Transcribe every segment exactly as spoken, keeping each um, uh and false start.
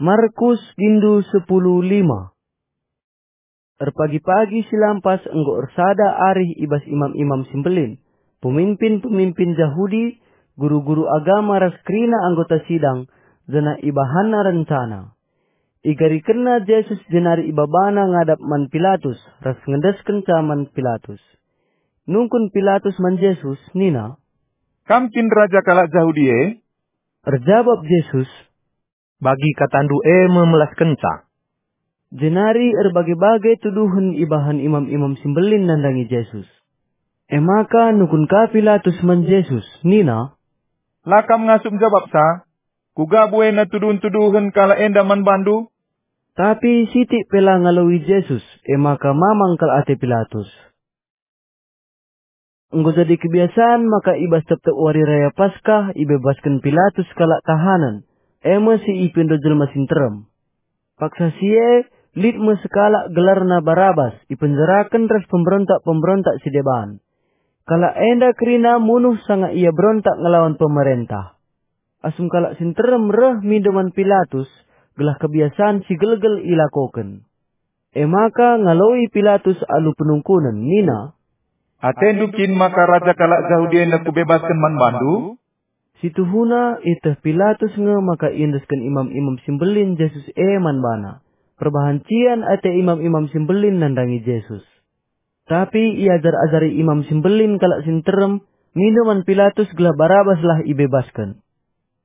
Markus bindu sepuluh lima. Erpagi-pagi si lampas enggo ersada arih i bas imam-imam si mbelin, pemimpin-pemimpin Jahudi, guru-guru agama ras kerina anggota sidang, janah ibahanna rencana. Igarikenna Jesus jenari ibabana ngadap man Pilatus ras ngendeskenca man Pilatus. Nungkun Pilatus man Jesus nina, "Kam kin raja kalak Jahudi e?" Erjabap Jesus, "Bagi katandu e me melaskenca." Jenari erbage-bage tuduhen ibahan imam-imam si mbelin nandangi Jesus. E maka nungkun ka Pilatus man Jesus nina, "La kam ngasup njabapsa? Kuga buena tuduhen-tuduhen kalak enda man bandu?" Tapi sitik pe la ngaloi Jesus, e maka mamang kal ate Pilatus. Enggo jadi kebiasan maka i bas tep-tep wari raya Paskah ibebasken Pilatus kalak tahanen, e me si ipindo jelma si nterem. Paksa si e, lit me sekalak gelarna Barabas ipenjaraken ras pemberontak-pemberontak si deban. Kalak enda kerina munuh sanga ia berontak ngelawan pemerentah. Asum kalak si nterem reh mindo man Pilatus, gelah kebiasan si gelgel ilakoken. E maka ngaloi Pilatus alu penungkunen nina, "Atendu kin maka raja kalak Jahudi enda kubebasken man bandu?" Situhuna ieteh Pilatus nge maka iendesken imam-imam si mbelin Jesus e man bana. Perbahan cian ate imam-imam si mbelin nandangi Jesus. Tapi iajar-ajari imam si mbelin kalak si nterem, mindo man Pilatus gelah Barabaslah ibebasken.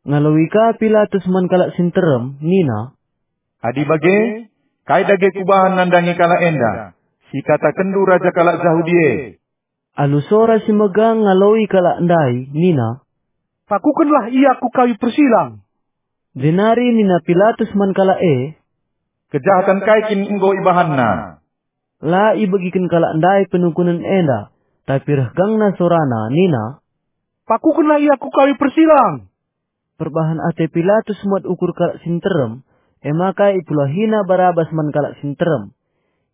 Ngaloi ka Pilatus man kalak si nterem nina, "Adi bage, kai dage kubahan nandangi kalak enda, si ikatakenndu raja kalak Jahudi e?" Alu sora si megang ngaloi kalak ndai nina, "Pakukenlah ia ku kayu persilang!" Jenari nina Pilatus man kalak e, "Kejahatan kai kin enggo ibahanna?" La ibegiken kalak ndai penungkunen enda, tapi reh gangna sorana nina, "Pakukenlah ia ku kayu persilang!" Perbahan ate Pilatus muat ukur kalak si nterem, e maka ipulahina Barabas man kalak si nterem.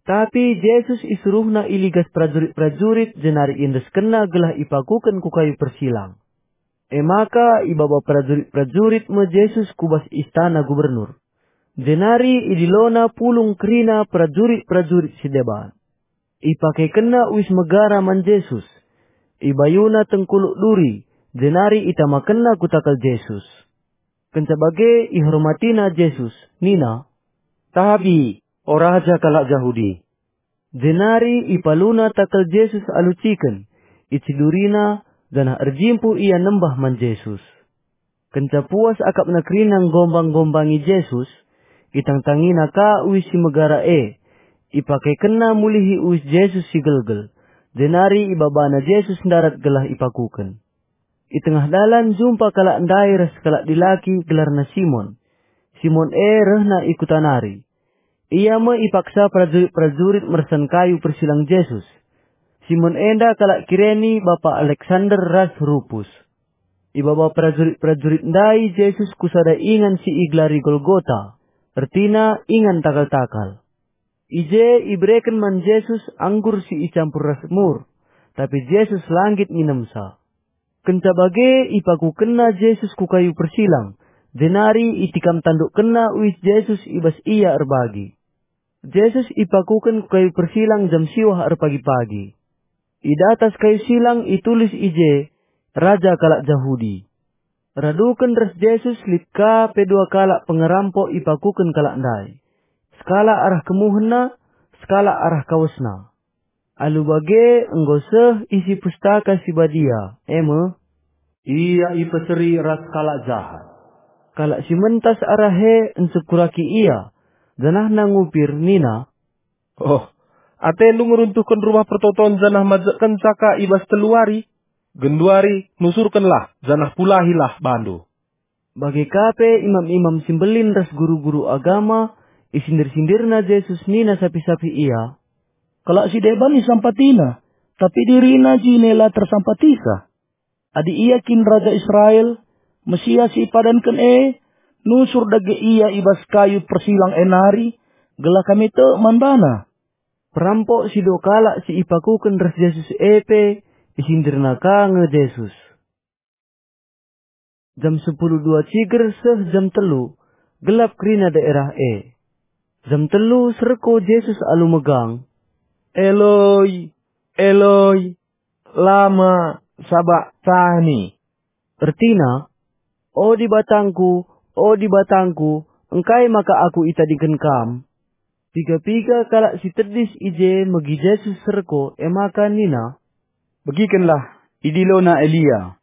Tapi Jesus isuruhna iligas perajurit-perajurit jenari iendeskenna gelah ipakuken ku kayu persilang. E maka ibaba perajurit-perajurit me Jesus ku bas istana gubernur. Jenari idilona pulung kerina perajurit-perajurit si deban. Ipakekenna uis megara man Jesus. Ibayuna tengkuluk duri, jenari itamakenna ku takal Jesus. Kenca bage ihormatina Jesus, nina, "Tabi, o raja kalak Jahudi." Jenari ipaluna takal Jesus alu ciken, icidurina, janah erjimpuh ia nembah man Jesus. Kenca puas akapna kerina nggombang-ngombangi Jesus, itangtangina ka uis si megara e, ipakekenna mulihi uis Jesus si gelgel, jenari ibabana Jesus ndarat gelah ipakuken. I tengah dalan jumpa kalak ndai ras kalak dilaki gelarna Simon. Simon e rehna i kuta nari. Ia me ipaksa perajurit-perajurit mersan kayu persilang Jesus. Simon enda kalak Kireni, bapa Aleksander ras Rupus. Ibaba perajurit-perajurit ndai Jesus ku sada ingan si igelari Golgota, ertina ingan takal-takal. I je ibereken man Jesus anggur si icampur ras mur, tapi Jesus la nggit nginemsa. Kenca bage ipakukenna Jesus ku kayu persilang, jenari itikam tandukkenna uis Jesus i bas ia erbagi. Jesus ipakuken ku kayu persilang jam siwah erpagi-pagi. I datas kayu silang itulis i je, "Raja kalak Jahudi." Raduken ras Jesus lit ka pe dua kalak pengerampok ipakuken kalak ndai. Sekalak arah kemuhenna, sekalak arah kawesna. Alu bage enggo seh isi Pustaka Si Badia, e me, "Ia ipeseri ras kalak jahat." Kalak si mentas arah e ncekuraki ia, janahna ngupir nina, "Oh, atendu ngeruntuhken Rumah Pertoton janah majekkenca ka i bas telu wari? Genduari nusurkenlah janah pulahilah bandu." Bage ka pe imam-imam si mbelin ras guru-guru agama isindir-sindirna Jesus nina sapih-sapih ia, "Kalak si deban isampatiNa, tapi diriNa jine la tersampatisa. Adi Ia kin Raja Israel, Mesias si ipadanken e, nusur dage Ia i bas kayu persilang e nari, gelah kami tek man baNa." Perampok si dua kalak si ipakuken ras Jesus e pe isindirna ka nge Jesus. Jam sepuluh dua ciger seh jam telu, Gelap kerina daerah e. Jam telu serko Jesus alu megang, "Eloi, Eloi, lama sabaktani?" Ertina, "O Dibatangku, o Dibatangku, engkai maka Aku itadingken Kam?" Piga-piga kalak si tedis i je megi Jesus serko, e maka nina, "Begikenlah, idilona Elia."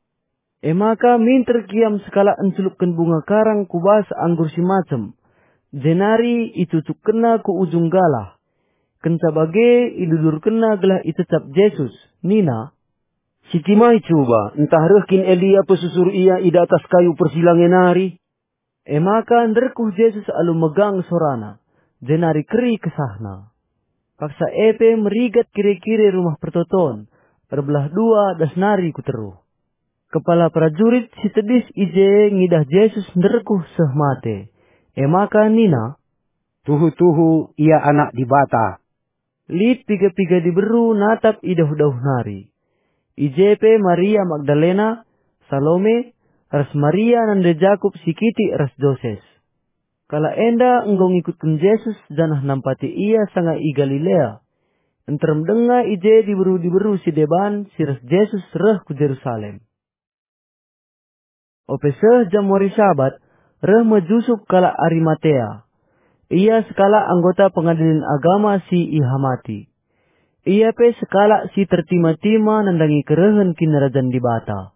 E maka minter kiam sekalak encelukken bunga karang ku bas anggur si macem, jenari icucukkenna ku ujung galah. Kenca bage idudurkenna gelah icecap Jesus, nina, "Sitimai cuba, ntah reh kin Elia pesusur ia i datas kayu persilang e nari?" E maka nderkuh Jesus alu megang sorana, jenari keri kesahna. Paksa e pe merigat kire-kire Rumah Pertoton, erbelah dua das nari ku teruh. Kepala perajurit si tedis i je ngidah Jesus nderkuh seh mate, e maka nina, "Tuhu-tuhu ia Anak Dibata." Lit piga-piga diberu natap i dauh-dauh nari. I je pe Maria Magdalena, Salome, ras Maria nande Jakup si kitik ras Joses. Kalak enda enggo ngikutken Jesus janah nampati ia sanga i Galilea. Nterem denga i je diberu-diberu si deban si ras Jesus reh ku Jerusalem. Ope seh jam wari Sabat, reh me Jusup kalak Arimatea. Ia sekalak anggota pengadilen agama si ihamati. Ia pe sekalak si tertima-tima nandangi kerehen Kinirajan Dibata.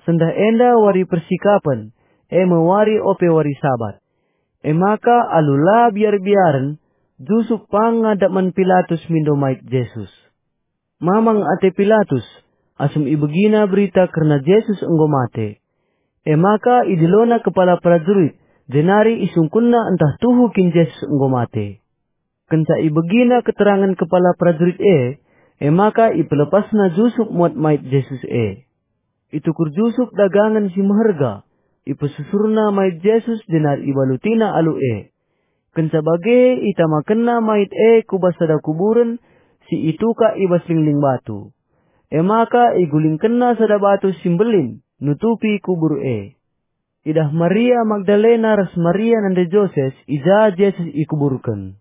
Sendah enda wari persikapen, e me wari ope wari Sabat. E maka alu la biar-biaren, Jusup pang ngadap man Pilatus mindo mait Jesus. Mamang ate Pilatus, asum ibegina berita kerna Jesus enggo mate. E maka idilona kepala perajurit, jenari isungkunna ntah tuhu kin Jesus enggo mate. Kenca ibegina keterangen kepala perajurit e, e maka ipelepasna Jusup muat mait Jesus e. Itukur Jusup dagangen si meherga, ipesusurna mait Jesus jenari ibalutina alu e. Kenca bage itamakenna mait e ku bas sada kuburen si itukak i bas lingling batu. E maka igulingkenna sada batu si mbelin nutupi kubur e. Idah Maria Magdalena ras Maria nande Joses i ja Jesus ikuburken.